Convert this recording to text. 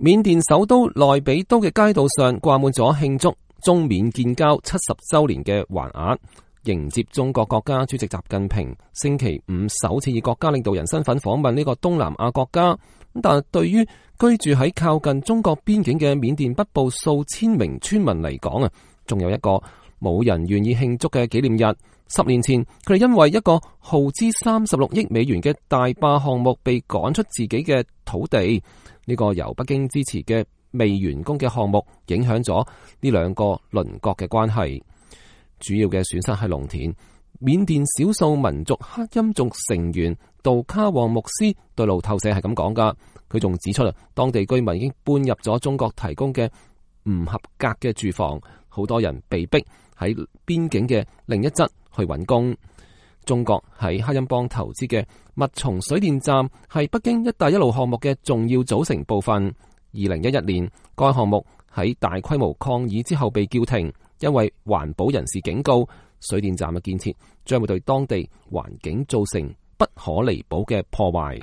緬甸首都內比都嘅街道上掛滿咗慶祝中緬建交70週年嘅橫額，迎接中國國家主席習近平星期五首次以國家領導人身份訪問呢個東南亞國家。但係對於居住喺靠近中國邊境嘅緬甸北部數千名村民嚟講啊，仲有一個冇人願意慶祝嘅紀念日。10年前，佢哋因為一個耗資36億美元嘅大壩項目被趕出自己嘅土地。呢個由北京支持嘅未完工嘅項目，影響咗呢兩個鄰國嘅關係。主要嘅損失係農田。緬甸少數民族克欽族成員杜卡旺牧師對路透社係咁講噶。佢仲指出當地居民已經搬入咗中國提供嘅唔合格嘅住房，好多人被逼喺邊境嘅另一側去揾工。中國喺克欽邦投資嘅密松水電站係北京一帶一路項目嘅重要組成部分。2011年，該項目喺大規模抗議之後被叫停，因為環保人士警告，水電站嘅建設將會對當地環境造成不可彌補嘅破壞。